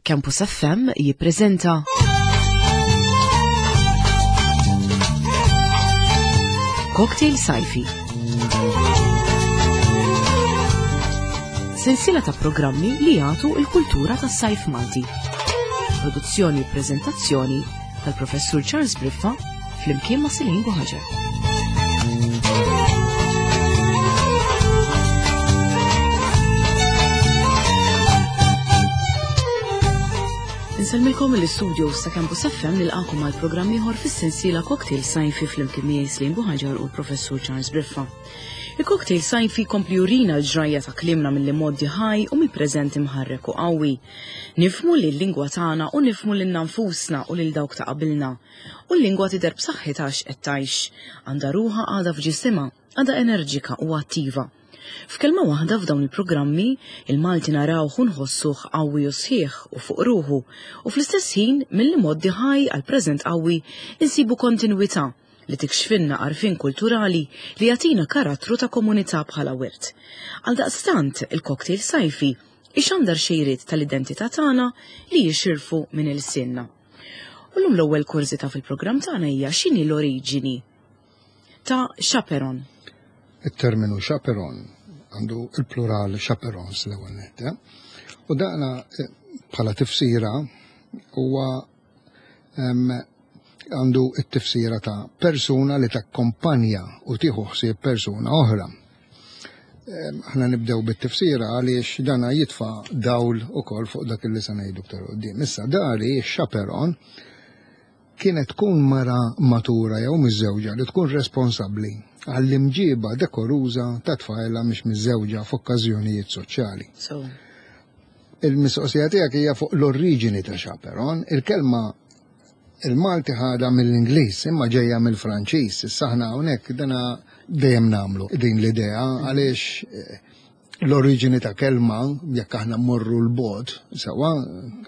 Campus FM jippreżenta Cocktail Sajfi. Sensiela ta' programmi li jagħtu l-kultura tas-sajf Malti. Produzzjoni u preżentazzjoni tal-Professur Charles Briffa flimkien ma' Silin Buħaġar. Insellmilkom mill-istudio sa' Campus FM nilqakom għal programm ieħor fis-sensiela Cocktail Sajfi flimkien miegħi Slim Buħaġar u l-Professur Charles Briffa. Il-cocktail sajfi kompli jurina l-ġrajja ta' kliemna mill-imgħoddi ħaj u mill-preżent imħarrek u qawwi. Nifhmu li l-lingwa tagħna u nifhmu lilna nfusna u lil dawk ta' qabilna. U l-lingwa tidher b'saħħitha għax qed tgħix. Għandha ruħha għadha f'ġisimha, għadha enerġika u attiva. F'kelma waħda f'dawn il-programmi, il-Malti narawh u nħossuh qawwi u sħiħ u fuq ruħu, u fl-istess ħin mill-imgħoddi ħaj għall-preżent qawwi insibu kontinwità li tikxfilna għarfien kulturali li jagħtina karattru ta' komunità bħala wirt. Għaldaqstant, il-cocktail sajfi ixandar xejriet tal-identità tagħna li jixirfu minn ilsienna. U llum l-ewwel kurżità fil-programm tagħna hija x'inhi l-oriġini ta' chaperon. It-terminu chaperon għandu il-plural chaperons l-ewwel nett. Eh? U daqna eh, bħala tifsira huwa għandu it-tifsira ta' persuna li takkompanja u tieħu ħsieb persuna oħra. Aħna nibdew bit-tifsira għaliex dana jitfa' dawl ukoll fuq dak li se ngħidu iktar quddiem. Issa dari x-chaperon kienet tkun mara matura jew miżżewġa li tkun responsabbli għall-imġiba dekoruża ta' tfajla mhix miżżewġa f'okkażjonijiet soċjali. Il-mistoqsija tiegħek hija fuq l-oriġini ta' chaperon, il-kelma Il-Malti ħadha mill-Ingliż imma ġejja mill-Franċiż. Issa aħna hawnhekk dana dejjem nagħmlu din l-idea għaliex eh, l-oriġini ta' kelma jekk aħna mmorru l-bogħod sewwa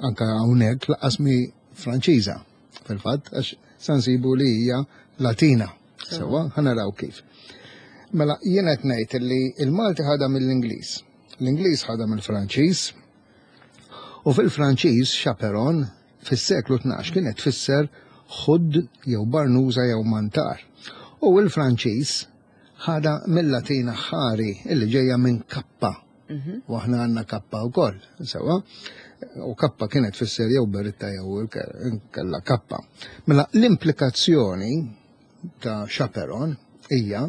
anke hawnhekk laqas mi Franċiża fil-fatt għax sa nsibu li hija Latina. Sewwa ħanaraw kif. Mela jien qed ngħid li l-Malti ħadha mill-Ingliż, l-Ingliż ħadha mill-Franċiż u fil-Franċiż chaperon fis-seklu 12 kienet tfisser ħudd jew barnuża jew mantar. U l-Franċiż ħadha mill-Latin aħħari illi ġejja minn kappa. Mhm. U aħna għandna kappa wkoll, sewwa. U kappa kienet tfisser jew beritta jew kella kappa. Mela l-implikazzjoni ta' chaperon hija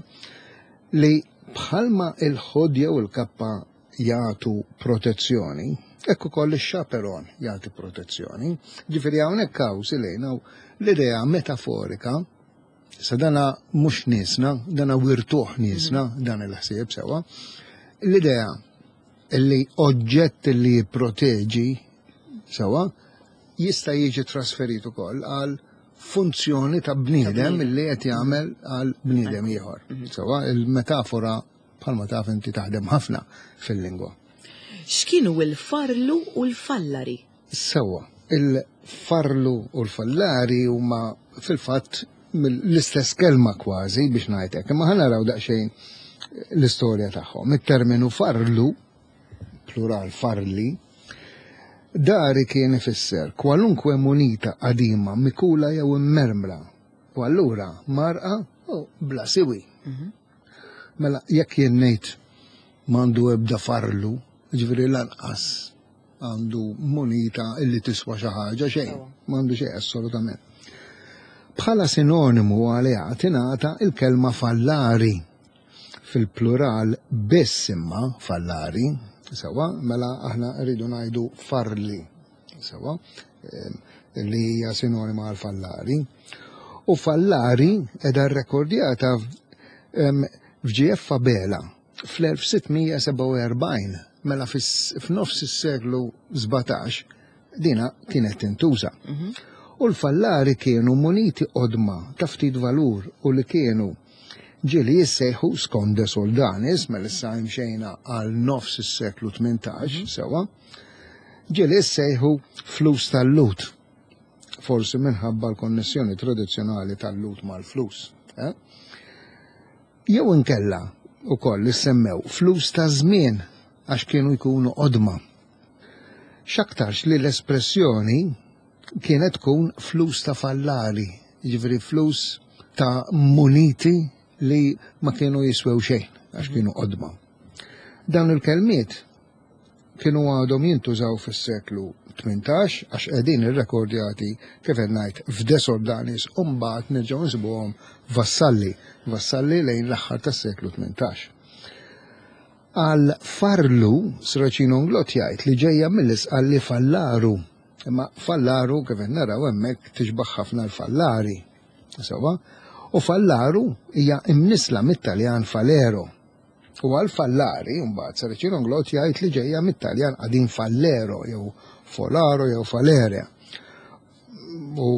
li bħalma il-ħud jew il-kappa jagħtu protezzjoni, hekk ukoll ix-chaperon jagħti protezzjoni. Ġifieri hawnhekk hawn silejna l-idea metaforika sa dana mhux niesna, dana wirtuh niesna mm. dan il-ħsieb sewwa. L-idea li oġġett li jipproteġi sewwa jista' jiġi trasferit ukoll għal funzjoni ta' bniedem li qed jagħmel għal bniedem ieħor. Mhm. Sewwa il-metafora Bħalma taf inti taħdem ħafna fil-lingwa. X'kienu l-farlu u l-fallari? Sewwa, il-farlu u l-fallari huma fil-fatt l-istess kelma kważi biex ngħid hekk, imma ħa naraw daqsxejn l-istorja tagħhom. It-terminu farlu, plural farli, dari kien ifisser kwalunkwe munita qadima mikula jew immermra u allura marqa u bla siwi. Mhm. Mela jekk jien ngħid m'għandu ebda farlu, ġifieri lanqas għandu munita illi tiswa xi ħaġa xejn, m'għandu xejn assolutament. Bħala sinonimu għaliha tingħata il-kelma fallari fil-plural biss imma fallari, sewa, mela aħna rridu ngħidu farli. Sewa, li hija sinonima għal fallari. U fallari edha rrekordjata f'GF Abela fl-1647, mela f'nofs is-seklu 17 dina kienet tintuża. Mhm. U l-fallari kienu muniti qodma ta' ftit valur u li kienu ġieli jissejħu skont de Soldanis, mela issa imxejna għal nofs is-seklu 18, mhm. sewa, Ġieli issejħu flus tal-Lhud, forsi minħabba l-konnessjoni tradizzjonali tal-Lhud mal-flus. Eh? Jew inkella ukoll issemmew flus ta' żmien għax kienu jkunu qodma. X'aktarx li l-espressjoni kienet tkun flus ta' fallari, jiġifieri flus ta' muniti li ma kienu jiswew xejn għax kienu qodma. Dawn il-kelmiet kienu għadhom jintużaw fis-seklu 18 għax qegħdin irrekordjati kif qed ngħid f'De Soldanis u mbagħad nerġgħu nsibuhom Vassalli, Vassalli lejn l-aħħar tas-seklu 18. Għal farlu, Sracino Nglott jgħid li ġejja mill-Isqalli fallaru. Imma fallaru kif qed naraw hemmhekk tixbaħ ħafna l-fallari. Sewwa? U fallaru hija imnisla mit-Taljan falero. U għal fallari, mbagħad Saracino Nglott jgħid li ġejja mit-Taljan qadim fallero jew folaro jew falere. U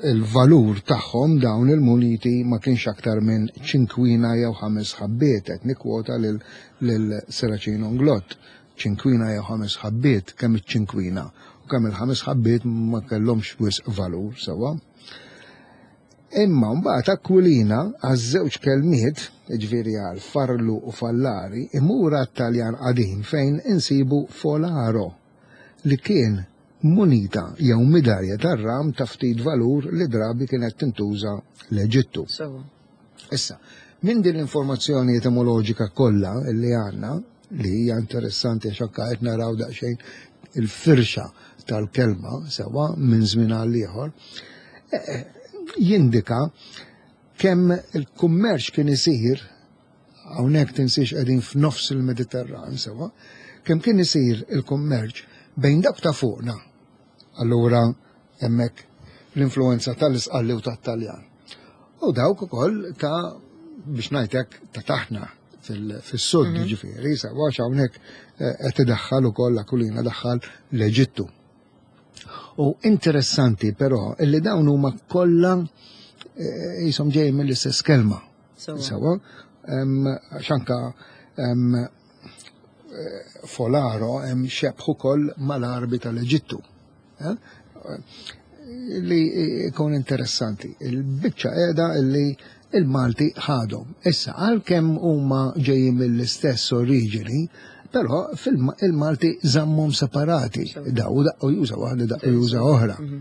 il-valur tagħhom dawn il-muniti ma kienx aktar minn ċinkwina jew ħames ħabbiet, qed nikkwota lil Seracino Nglott. Ċinkwina jew ħames ħabbiet, kemm iċ-ċinkwina u kemm il-ħames ħabbiet ma kellhomx wisq valur sewwa. Imma mbagħad Aquilina għaż-żewġ kelmiet, jiġifieri għal farlu u fallari, imur għat-Taljan qadim fejn insibu folaro, li kien munita jew midalja tar-ram ta' ftit valur li drabi kienet tintuża l-Eġittu. Issa, minn din l-informazzjoni etimoloġika kollha li għandna, li hija interessanti għax anke qed naraw daqsxejn il-firxa tal-kelma sewwa minn żmien għal ieħor, eh, eh, jindika kemm il-kummerċ kien isir hawnhekk tinsiex qegħdin f'nofs il-Mediterran sewwa, kemm kien isir il-kummerċ bejn dak ta' fuqna. Allura hemmhekk l-influenza tal-Isqalli u tat-Taljan. U dawk ukoll ta' biex ngħidlek ta' taħna fis-sud mhm. ġifieri, sawa hawnhekk eh, qed idaħħal ukoll Akulina daħħal l-Eġittu. U interessanti però illi dawn huma kollha eh, jisom ġej mill-istess kelma. Sawa, xanka eh, folaro hemm xebħ ukoll mal-Arbi tal-Eġittu. Eh? Li jkun interessanti. Il-biċċa qiegħda li il-Malti ħadhom. Issa għalkemm huma ġejjin mill-istess oriġini, però fil-Malti żammhom separati. Daw daqqu juża waħda, daqqu juża oħra. Mhm.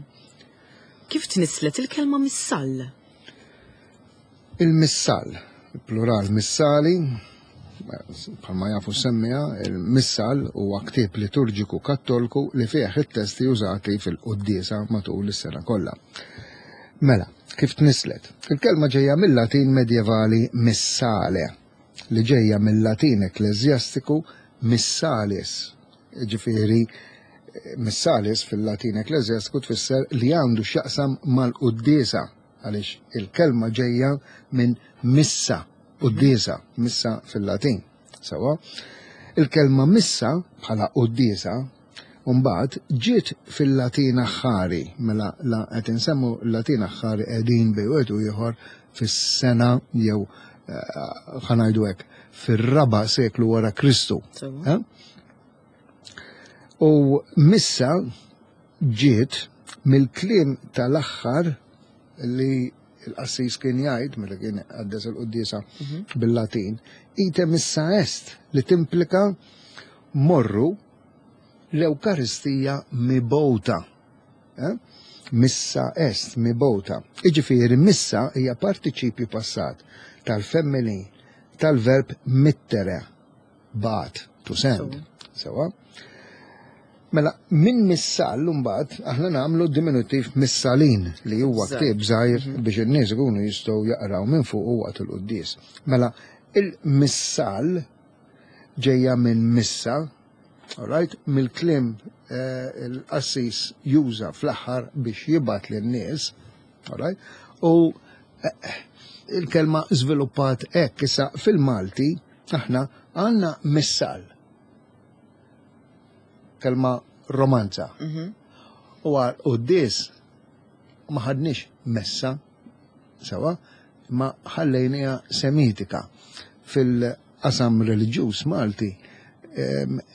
Kif tnisslet il-kelma missall? Il-missal, plural missali, bħalma jafu semmija, il-missal huwa ktieb liturġiku kattolku li fih it-testi użati fil-quddiesa matul is-sena kollha. Mela, kif tnisslet? Il-kelma ġejja mill-Latin medjevali missale, li ġejja mill-Latin ekkleżjastiku missalis, ġifieri missalis fil-Latin ekkleżjastiku tfisser li għandu x'jaqsam mal-quddiesa għaliex il-kelma ġejja minn missa, quddiesa, missa fil-Latin. Sawa? Il-kelma missa bħala quddiesa mbagħad ġiet fil-Latin aħħari, mela la qed insemmu l-Latin aħħari qegħdin bejn wieħed u ieħor fis-sena jew eh, ħanajdu hekk fir-raba' seklu wara Kristu. Eh? U missa ġiet mill-kliem tal-aħħar li l-qassis kien jgħid meta kien għaddes il-quddiesa mhm. bil-Latin, ite missa est li timplika morru l-Ewkaristija mibgħuta. Eh? Missa est mibgħuta. Iġifieri missa hija partiċipju passat tal-femmini tal-verb mittere Bagħat, to send. Sewa. Mela, minn missal mbagħad aħna nagħmlu diminutiv missalin li huwa ktieb żgħir mhm. biex in-nies ikunu jistgħu jaqraw minn fuq u waqt il-quddies. Mela, il-missal ġejja minn missa, alright, mill-kliem eh, il-qassis juża fl-aħħar biex jibgħat lin-nies, alright, u eh, il-kelma żviluppat hekk issa fil-Malti Aħna għandna missal. Kelma romanza. Mhm. U għal quddies ma ħadniex messa sewa, ma ħallejniha semitika. Fil-qasam reliġjuż Malti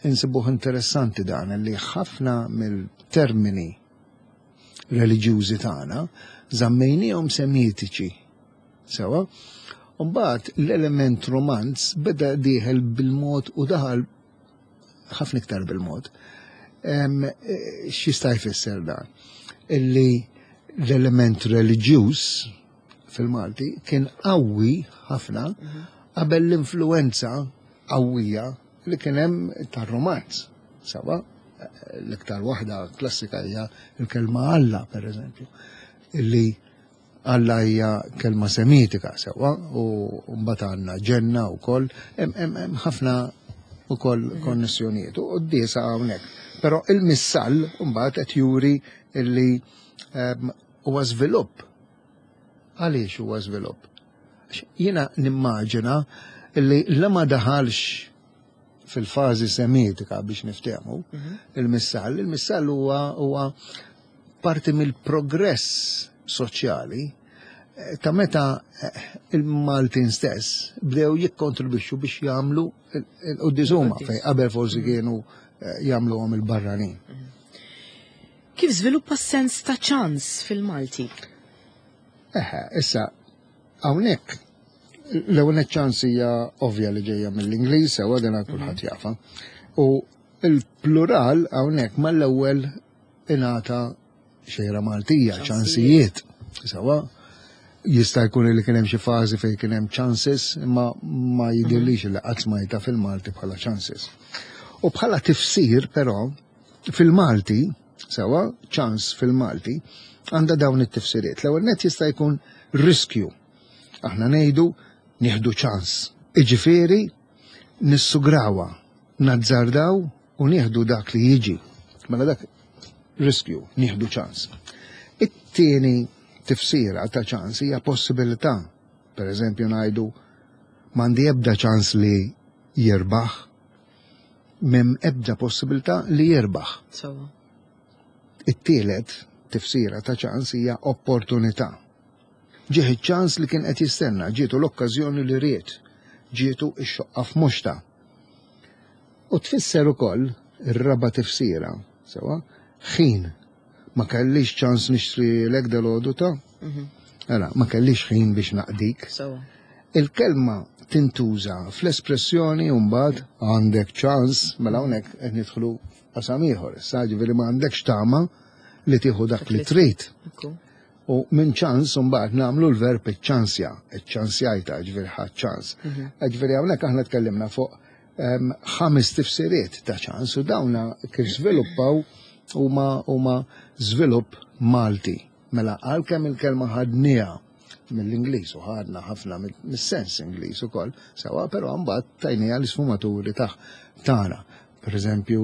insibuh interessanti dan li ħafna mill-termini reliġjużi tagħna żammejniehom semitiċi Sewa. Mbagħad l-element romanz beda dieħel bil-mod u daħal ħafna iktar bil-mod. X'jista' jfisser dan? Illi l-element reliġjuż fil-Malti kien qawwi ħafna qabel l-influenza qawwija li kien hemm tar-Romanz. Sawa, l-iktar waħda klassika hija l-kelma Alla, per eżempju, illi Alla hija kelma semitika sewwa u mbagħad għandna ġenna wkoll, hemm ħafna ukoll mhm. konnessjonijiet u quddiesa hawnhekk. Però il-missall mbagħad qed juri illi ehm, huwa żvilupp. Għaliex huwa żvilupp? Jiena nimmaġina illi la ma daħalx fil-fażi semitika biex niftehmu mhm. il-missall, il-missall huwa parti mill-progress soċjali eh, ta' meta eh, il-Maltin stess bdew jikkontribwixxu biex jagħmlu il-quddies huma fejn qabel forsi mhm. kienu eh, jagħmluhom il-barranin. Mhm. Kif żviluppa s-sens ta' ċans fil-Malti? Eħe, issa, hawnhekk l-ewwel ċans hija ovvja li ġejja mill-Ingliż, sewa dan kulħadd mhm. jafa. U il-plural hawnhekk mal-ewwel ingħata xejra Maltija, ċansijiet. Sewa, jista' jkun li kien hemm xi fażi fejn kien hemm chances, imma ma jidhirlix li qatt smajta fil-Malti bħala chances. U bħala tifsir però fil-Malti, sewa, ċans fil-Malti, għandha dawn it-tifsiriet. L-ewwel net jista' jkun riskju. Aħna ngħidu nieħdu ċans. Iġifieri nissugrawa, nazzardaw u nieħdu dak li jiġi. Mela dak riskju, nieħdu ċans. It-tieni tifsira ta' ċans hija possibilità. Per eżempju ngħidu m'għandi ebda ċans li jirbaħ, m'hemm ebda possibilità li jirbaħ. It-tielet tifsira ta' ċans hija opportunità. Ġieħ iċ-ċans li kien qed jistenna, ġietu l-okkażjoni li ried, ġietu x-xoqqa f'muxta. U tfisser ukoll ir-raba' tifsira, sewwa, ħin. Ma kellix ċans nixtrilek dalgħodu ta'? Mhm. Ara, ma kellix ħin biex naqdik. Il-kelma tintuża fl-espressjoni mbagħad għandek ċans, mela hawnhekk qed nidħlu qasam ieħor. Issa ġifieri ma għandekx tama li tieħu dak li trid. U minn ċans mbagħad nagħmlu l-verb iċ-ċansja, iċ-ċansjajta, ġifieri ħadd ċans. Mhm. Ġifieri hawnhekk aħna tkellimna fuq ħames tifsiriet ta' ċans u dawna kif żviluppaw huma huma żvilupp Malti. Mela għalkemm il-kelma ħadniha mill-Ingliż u ħadna ħafna mis-sens Ingliż ukoll, sewa però mbagħad tajniha l-isfumaturi tagħna. Per eżempju,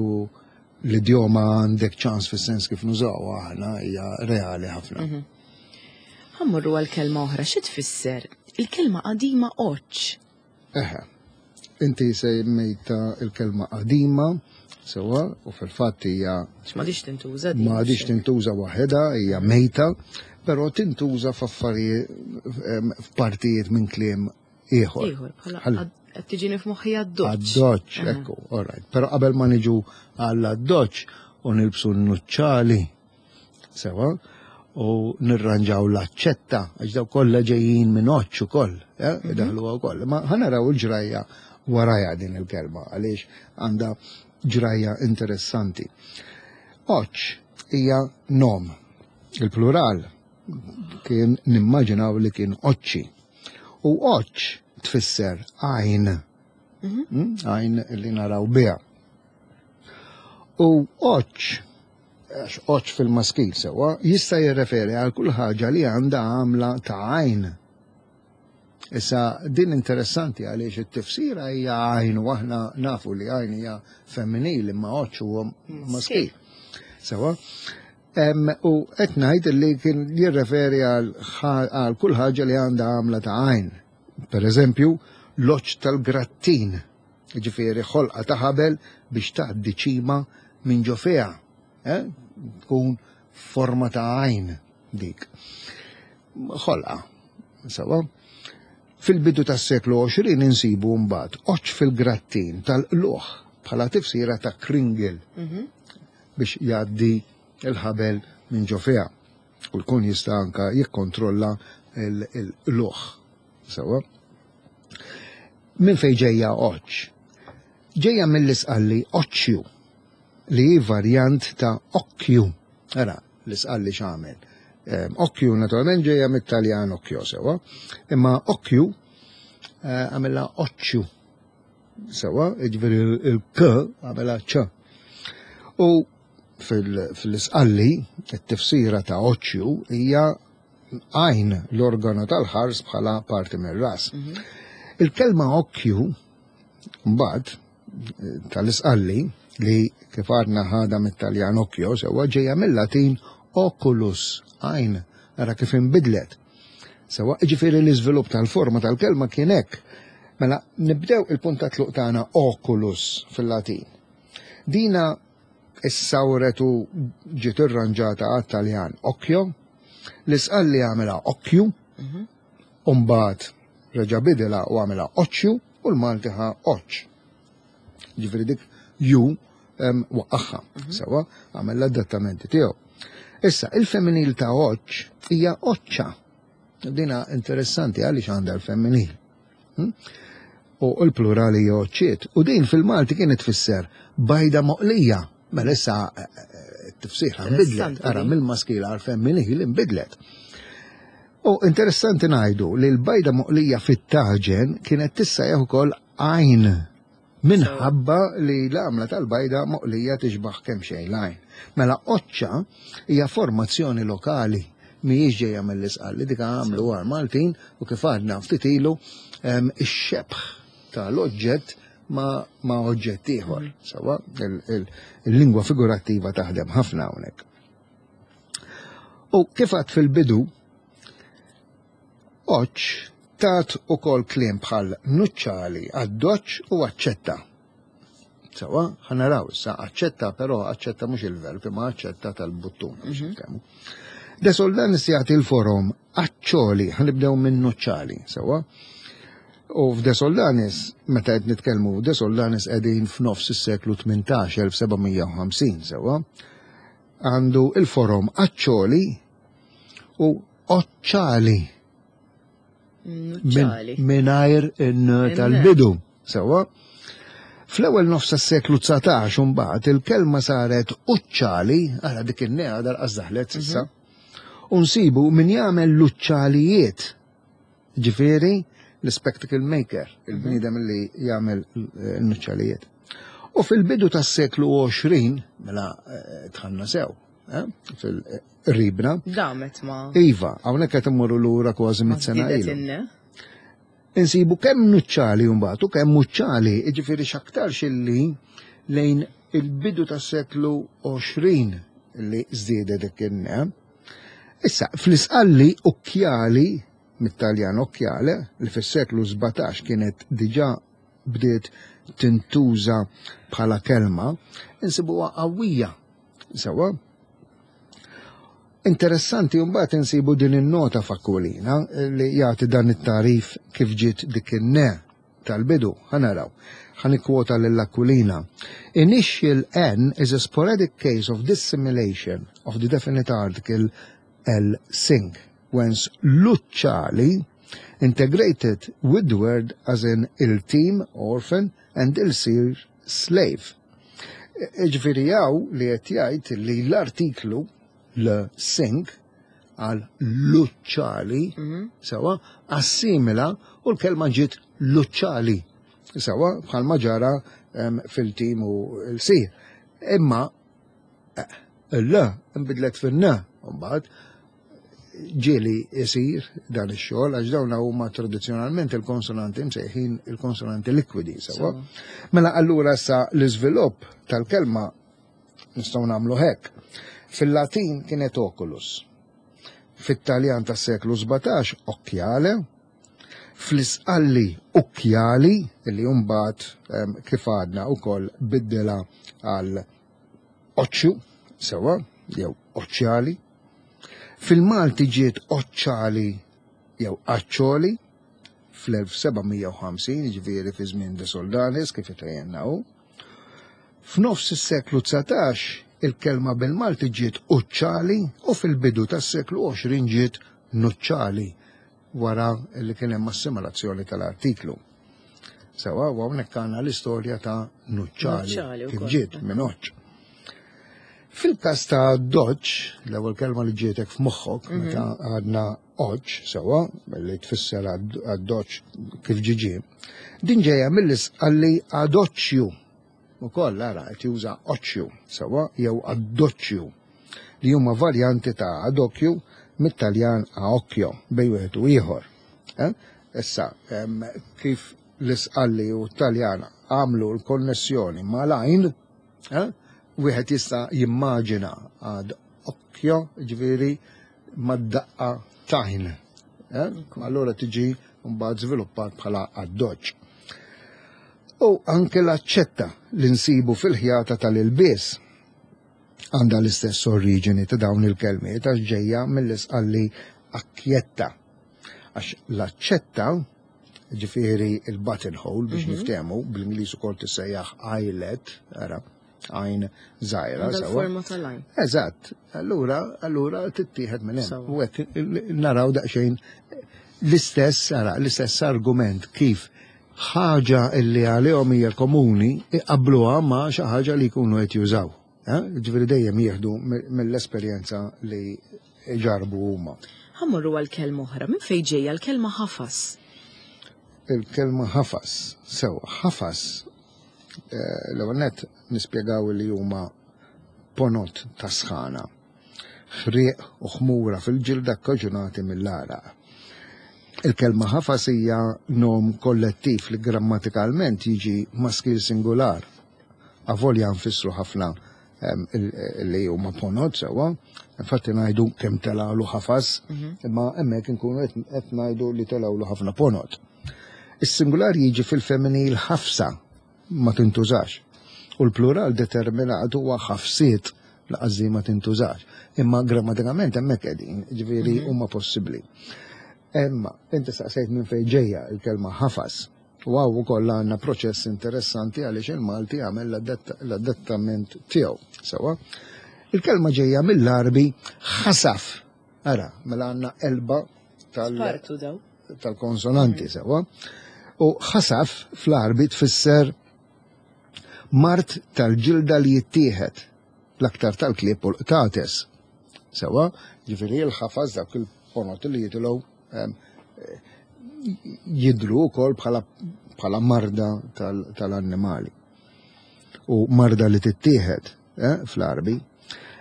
l-idjoma għandek ċans fis-sens kif nużaw aħna hija reali ħafna. Mhm. Ħammurru għal kelma oħra, xi tfisser? Il-kelma qadima oċ. Eħe, inti semmejta il-kelma qadima, sewa, u fil-fatt hija. M'għadix tintuża. M'għadix tintuża waħedha, hija mejta, però tintuża f'affarijiet f'partijiet minn kliem ieħor. Ieħor, bħala qed tiġini f'moħħi għad-doċċ. Għad-doċċ, ekku, all right. Però qabel ma niġu għall-doċċ u nilbsu n-nuċċali, Sewa, u nirranġaw l-aċċetta, għax daw kollha ġejjin minn oċċ ukoll, eh, mhm. daħlu wkoll. Ma ħanaraw il-ġrajja warajha din il-kelma għaliex għandha ġrajja interessanti. Oċċ hija nom, il-plural kien nimmaġinaw li kien oċċi. U oċċ tfisser għajn, mhm. hmm, għajn li naraw biha. U oċċ għax oċ fil-maskil sewwa, jista' jirreferi għal kull ħaġa li għandha għamla ta' għajn. Issa din interessanti għaliex it-tifsira hija għajn u aħna nafu li għajn hija femminil imma oċ huwa maskil. Sewwa. U qed ngħid li kien jirreferi għal kull ħaġa li għandha għamla ta' għajn. Per eżempju, l-oċ tal-grattin. Jiġifieri ħolqa ta' ħabel biex tgħaddi ċima minn ġo fiha. Eh? Tkun forma ta' għajn dik. Ħolqa. Sawa? Fil-bidu tas-seklu 20 insibu mbagħad oċ fil-grattin tal-qluħ bħala tifsira ta' kringil mhm. biex jgħaddi il-ħabel minn ġo fiha u jkun jista' anka jikkontrolla l-qluħ. Sawa? Minn fejn ġejja oċ? Ġejja mill-isqalli oċċju. li hi varjant ta' okkju. Ara, l-Isqalli x'għamel. Okkju naturalment ġejja mit-Taljan occhio sewwa, imma okkju eh, għamilha oċċju. Sewwa, jiġifieri il-k għamilha ċ. U fil-Isqalli, it-tifsira ta' oċċju hija għajn l-organu tal-ħars bħala parti mir-ras. Mhm. Il-kelma okkju mbagħad tal-Isqalli li kif għadna ħadha mit-Taljan occhio sewwa ġejja mill-Latin oculus, għajn, ara kif inbidlet. Sewwa, ġifieri l-iżvilupp tal-forma tal-kelma kien hekk. Mela nibdew il-punt ta' tluq tagħna oculus fil-Latin. Dina issawret u ġiet irranġata għat-Taljan occhio, l-Isqalli għamilha occhju, mhm. u mbagħad reġa' bidilha u għamilha oċċju u l-Malti ħa oċċ. Ġifieri dik ju waqqaħħa, mhm. sewa għamel l-adattamenti tiegħu. Issa, il-femminil ta' oċċ hija oċċa. Dina interessanti għaliex għandha l-femminil. Hm? U l-plurali hija oċċiet. U din fil-Malti kienet tfisser bajda moqlija. Mela issa eh, eh, t-tifsira nbidlet, ara mill-maskila għal-femminil inbidlet. U interessanti ngħidu li l-bajda moqlija fit-taġen kienet tissejjaħ ukoll għajn minħabba li l-għamla tal-bajda moqlija tixbaħ kemm xejn l-għajn. Mela oċċa hija formazzjoni lokali mhijiex ġejja mill-Isqalli dik għamlu għal Maltin u kif għadna ftit ilu ix-xebħ tal-oġġett ma, ma oġġett ieħor. Mm. Sawa, il-lingwa figurattiva taħdem ħafna hawnhekk. U kif għad fil-bidu, oċ tat ukoll kliem bħal nuċċali, addoċ u aċċetta. Sawa, ħanaraw issa aċċetta, però aċċetta mhux il-verb, imma aċċetta tal-buttuna biex mhm. nitkellmu. De Soldanis jagħti l-forom aċċoli, ħanibdew minn nuċċali, sawa. U f'De Soldanis, meta qed nitkellmu De Soldanis qegħdin f'nofs is-seklu 18, 1750, sewa għandu il-forom aċċoli u oċċali. Minajr in tal-bidu, sewa. Fl-ewwel nofs tas-seklu 19 imbagħad il-kelma saret uċċali, ara dik in-nea dal-qas daħlet s'issa. Mhm. U nsibu min jagħmel l-uċċalijiet Ġifieri l-spectacle maker, il-bniedem li jagħmel eh, n-nuċċalijiet. U fil-bidu tas-seklu 20, mela eh, tħanna sew, eh, fil-ribna. Damet ma. Iva, hawnhekk qed immorru lura kważi mit sena ilu. Insibu kemm nuċċali mbagħad u kemm muċċali, jiġifieri x'aktarx illi lejn il-bidu tas-seklu 20 li żdiedet dik Issa, fl-Isqalli ukkjali, mit-Taljan occhiale, li fis-seklu 17 kienet diġà bdiet tintuża bħala kelma, insibuha qawwija. Sewwa? Interessanti mbagħad insibu din in-nota f'Aquilina li jagħti dan it-tagħrif kif ġiet dik in-ne tal-bidu. Ħa naraw. Ħa nikkwota lil Aquilina. Initial N is a sporadic case of dissimilation of the definite article L sing, whence luċċali integrated with the word as in il-team, orphan, and il-sir, slave. Ġifieri hawn li qed jgħid li l-artiklu l sing għal luċċali, mhm. sewa, assimila u l-kelma ġiet luċċali, sewa, bħalma ġara fil-tim u l-sir. Imma eh, l nbidlet fin-n, mbagħad ġieli isir dan ix-xogħol għax dawn huma tradizzjonalment il-konsonanti msejħin il-konsonanti likwidi sewa. Mela allura sa l-iżvilupp tal-kelma Nistgħu nagħmlu hekk. Fil-Latin kienet oculus. Fit-Taljan tas-seklu 17 occhiale, fl-Isqalli ucchiali, li mbagħad ehm, kif għadna wkoll biddela għal oċċju, sewa, jew oċċjali. Fil-Malti ġiet oċċali jew aċċoli fl-1750, ġifieri fi żmien De Soldanis kif itejjenna hu. F'nofs is-seklu 19 il-kelma bil-Malti ġiet uċċali u fil-bidu tas-seklu 20 ġiet nuċċali wara li kien hemm assimolazzjoni tal-artiklu. Sewa, u hawnhekk għandna l-istorja ta' nuċċali kif ġiet minn oċċ. Fil-każ ta' doċ, l-ewwel kelma li ġietek f'moħħok mhm. meta għadna oċ sewwa, li tfisser għad-doċ kif ġiġi, din ġejja mill-isqalli adoċċju. Ukoll ara qed juża oċċju sewwa jew addoċċju li huma varjanti ta' adokju mit-Taljan a occhio bejn wieħed u ieħor. Eh? Issa, kif l-Isqalli u t-Taljan għamlu l-konnessjoni mal-għajn, eh? wieħed jista' jimmaġina għad occhio, ġifieri mad-daqqa t'għajn. Eh? Allura tiġi mbagħad żviluppat bħala addoċċ. U anke l-aċċetta li nsibu fil-ħjata tal-ilbies għandha l-istess oriġini ta' dawn il-kelmiet għax ġejja mill-isqalli akkjetta. Għax l-aċċetta, ġifieri il-buttonhole biex mhm. niftehmu, bl-Ingliż ukoll tissejjaħ eyelet, ara, għajn żgħira. Forma tal-għajn. Eżatt, allura allura tittieħed minn hemm. U hekk naraw daqsxejn l-istess ara, l-istess argument kif ħaġa illi għalihom hija komuni iqabbluha ma' xi ħaġa li jkunu qed jużaw. Eh? Ġifieri dejjem jieħdu mill-esperjenza li ġarbu huma. Ħa mmorru għal kelma oħra. Minn fejn ġejja l-kelma ħafas? Il-kelma ħafas. Sew, ħafas eh, l-ewwel nett nispjegaw li huma ponot ta' sħana, ħrieq u ħmura fil-ġilda kkaġunati mill-għaraq. Il-kelma ħafas hija nom kollettiv li grammatikalment jiġi maskil singular. Avolja nfissru ħafna li huma ponot sewwa, infatti ngħidu kemm telgħulu ħafas, mhm. imma hemmhekk inkunu qed ngħidu li telgħulu ħafna ponot. Is-singular jiġi fil-femminil ħafsa ma tintużax. U l-plural determinat huwa ħafsiet laqas ma tintużax. Imma grammatikament hemmhekk qegħdin, ġifieri mhm. huma possibbli. Imma inti staqsejt minn fejn ġejja il-kelma ħafas. U hawn ukoll għandna proċess interessanti għaliex il-Malti għamel l-adattament tiegħu. Sewa. Il-kelma ġejja mill-Għarbi ħasaf. Ara, mela għandna elba tal-konsonanti mm. sewa. U ħasaf fl-Għarbi tfisser mart tal-ġilda li jittieħed l-aktar tal-klieb u l-qtates. Sewa, ġifieri l-ħafas dawk il-ponot li jitilgħu jidru wkoll bħala bħala marda tal-annimali. U marda li tittieħed eh, fl-Arbi.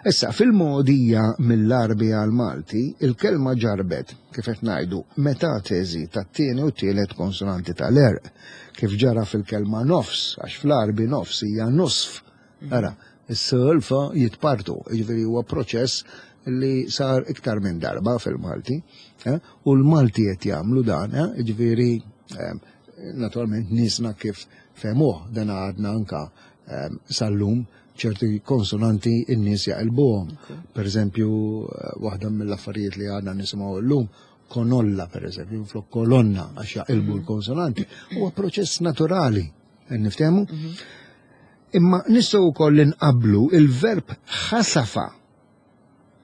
Issa, fil-mogħdija mill-Għarbi għall-Malti, il-kelma ġarbet, kif qed ngħidu, metateżi tat-tieni u t-tielet konsonanti tal-għerq, kif ġara fil-kelma nofs, għax fl-Għarbi nofs hija nusf. Ara, is-s u l-f jitpartu, jiġifieri huwa proċess li sar iktar minn darba fil-Malti, eh, u l-Malti qed jagħmlu dan, eh, jiġifieri eh, naturalment niesna kif fehmuh dan għadna anka sal-lum ċerti konsonanti n-nies jaqilbuhom. Per eżempju, waħda mill-affarijiet li għadna nisimgħu llum, konolla per eżempju, flok kolonna għax jaqilbu l-konsonanti, huwa proċess naturali, niftehmu? Mhm. Imma nistgħu wkoll inqabblu il-verb ħasafa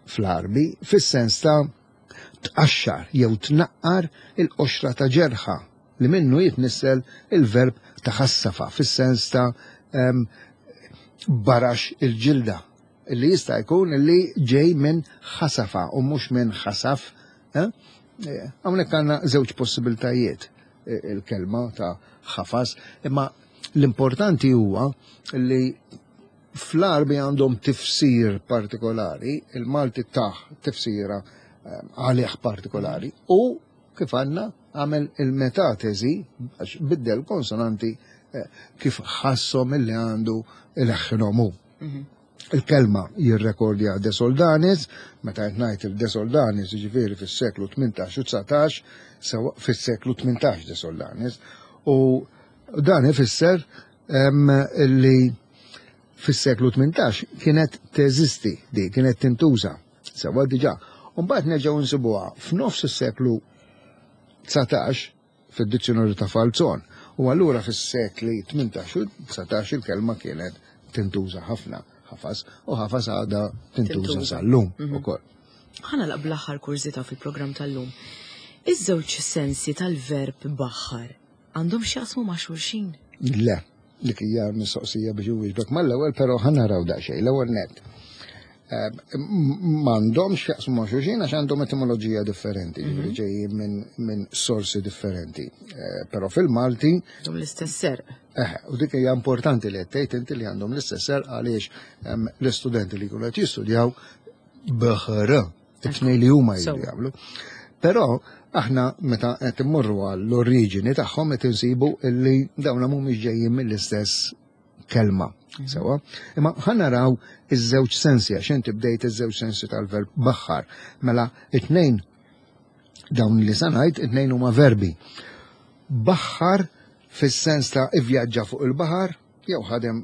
fl-Għarbi fis-sens ta' tqaxxar jew tnaqqar il-qoxra ta' ġerħa li minnu jitnissel il-verb taħassafa fis-sens ta' barax il-ġilda li jista' jkun li ġej minn ħasafa u mhux minn ħasaf. Eh? Eh, hawnhekk għandna żewġ possibiltajiet eh, il-kelma ta' ħafas, imma l-importanti huwa li Fl-Għarbi għandhom tifsir partikolari, il-Malti tah tifsira ehm, għalih partikolari u kif għandna għamel il-metatesi għax biddel konsonanti eh, kif ħasshom illi għandu il-ħinhom hu. Mhm. Il-kelma jirrekordja De Soldanis, meta qed ngħid il-De Soldanis jiġifieri fis-seklu 18 u 19, sewa fis-seklu 18 De Soldanis, u dan ifisser li fis-seklu 18 kienet teżisti di, kienet tintuża sewwa diġà. U mbagħad nerġgħu nsibuha f'nofs is-seklu 19 fid-dizzjonarju ta' Falzon. U allura fis-sekli 18 u 19 il-kelma kienet tintuża ħafna ħafas u ħafas għadha tintuża sal-lum mhm. ukoll. Ħa nagħlaq bl-aħħar kurżità fil-programm tal-lum. Iż-żewġ sensi tal-verb baħħar Għandhom x'jaqsmu ma' xulxin? Le, dik hija mistoqsija biex inwieġbek mal-ewwel, però ħa naraw daqsxejn. L-ewwel nett. Eh, m'għandhomx x'jaqsmu ma' xulxin għax għandhom etimoloġija differenti, mhm. ġifieri ġejjin minn sorsi differenti. Eh, però fil-Malti. Għandhom l-istess serq. Eh, u dik hija importanti li qed tgħid inti li għandhom l-istess serq għaliex l-istudenti li jkunu qed jistudjaw bħr, it-tnej li huma jridu jagħmlu. Però aħna meta qed immorru għall-oriġini tagħhom qed insibu illi dawna mhumiex ġejjin mill-istess kelma. Mhm. Sewa, imma ħa naraw iż-żewġ sensi għax inti bdejt iż-żewġ sensi tal-verb baħħar. Mela it-tnejn dawn li sanajt it-tnejn huma verbi. Baħħar fis-sens ta' ivvjaġġa fuq il-baħar jew ħadem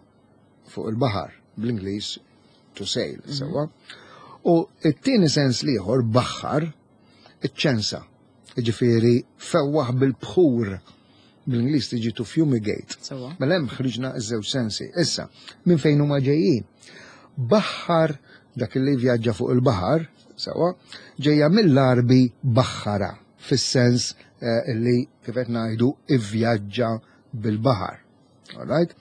fuq il-baħar bl-Ingliż to sail, mhm. sewa. U it-tieni sens liħor baħħar iċ-ċensa. Jiġifieri fewwaħ bil-bħur bl-Ingliż tiġi to fumigate. Mela hemm ħriġna ż-żewġ sensi. Issa, minn fejn huma ġejjin? Baħħar dak li vjaġġa fuq il-baħar, sewa, ġejja mill-Arbi baħħara, fis-sens eh, li kif qed ngħidu ivvjaġġa bil-baħar. Alright?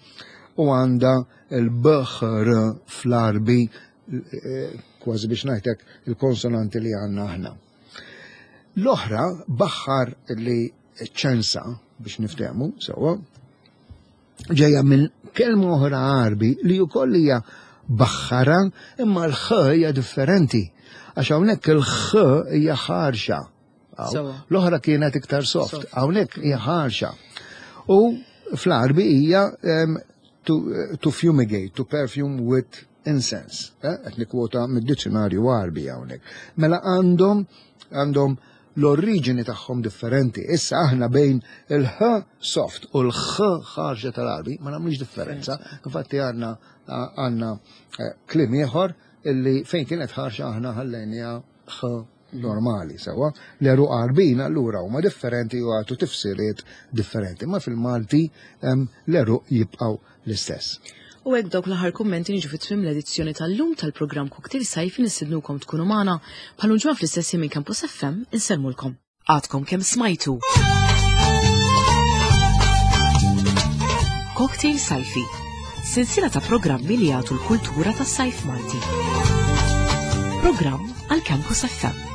U għandha l-baħr fl-Arbi eh, kważi biex ngħidlek il-konsonanti li għandna aħna. L-oħra baħħar li ċensa biex niftehmu sewwa ġejja minn kelma oħra Għarbi li wkoll hija baħħara imma l-ħ hija differenti. Għax hawnhekk il-ħ hija ħarxa. L-oħra kienet iktar soft, hawnhekk hija ħarxa. U fl-Għarbi hija to, to fumigate, to perfume with incense. Eh, qed nikkwota mid-dizzjonarju Għarbi hawnhekk. Mela għandhom għandhom l-oriġini tagħhom differenti. Issa aħna bejn il-ħ soft u l-ħ ħarġa tal-Għarbi ma nagħmlux differenza. Infatti għandna għandna eh, kliem ieħor illi fejn kienet ħarxa aħna ħallejniha ħ normali sewa. L-għeruq Għarbin allura huma differenti u għatu tifsiriet differenti, ma fil-Malti l-għeruq jibqgħu l-istess. U hekk dawk l-aħħar kummenti niġu fi tmiem l-edizzjoni tal-lum tal-programm Cocktail Sajfi nistidnukom tkunu magħna bħal ġimgħa fl-istess minn Campus FM insellmulkom. Għadkom kemm smajtu. Cocktail Sajfi, sensiela ta' programmi li jagħtu l-kultura tas-sajf Malti. Programm għal Campus FM.